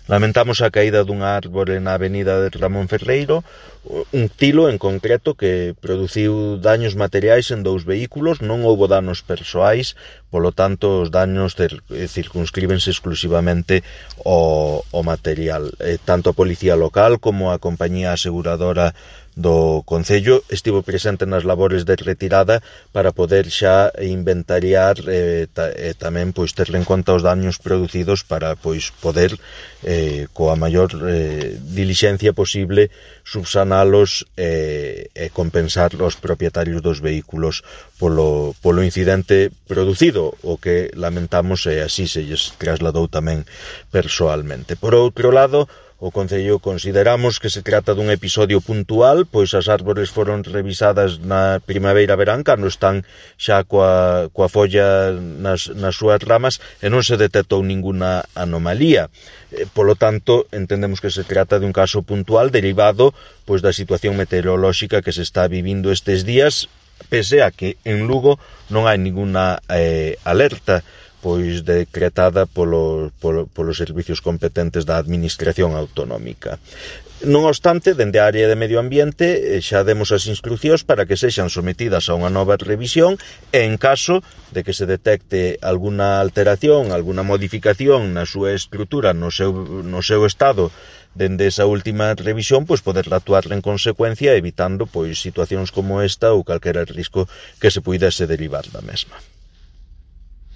Lamentamos a caída dunha árbore na avenida de Ramón Ferreiro, un tilo en concreto que produciu daños materiais en 2 vehículos, non houbo danos persoais, polo tanto os daños circunscríbense exclusivamente ao material. Tanto a policía local como a compañía aseguradora do Concello estivo presente nas labores de retirada para poder xa inventariar e tamén pois ter en conta os daños producidos para pois poder coa maior dilixencia posible subsanalos e compensar os propietarios dos vehículos polo incidente producido, o que lamentamos e así se lles trasladou tamén persoalmente. Por outro lado, o Concello consideramos que se trata dun episodio puntual, pois as árbores foron revisadas na primavera-verán, cando están xa coa folla nas súas ramas e non se detectou ninguna anomalía. Polo tanto, entendemos que se trata dun caso puntual derivado pois da situación meteorolóxica que se está vivindo estes días, pese a que en Lugo non hai ninguna alerta pois decretada polos servicios competentes da Administración Autonómica. Non obstante, dende a área de Medio Ambiente xa demos as instruccións para que sexan sometidas a unha nova revisión e en caso de que se detecte alguna alteración, alguna modificación na súa estrutura, no seu estado, dende esa última revisión, pois poder actuar en consecuencia, evitando pois situacións como esta ou calquera risco que se puidese derivar da mesma.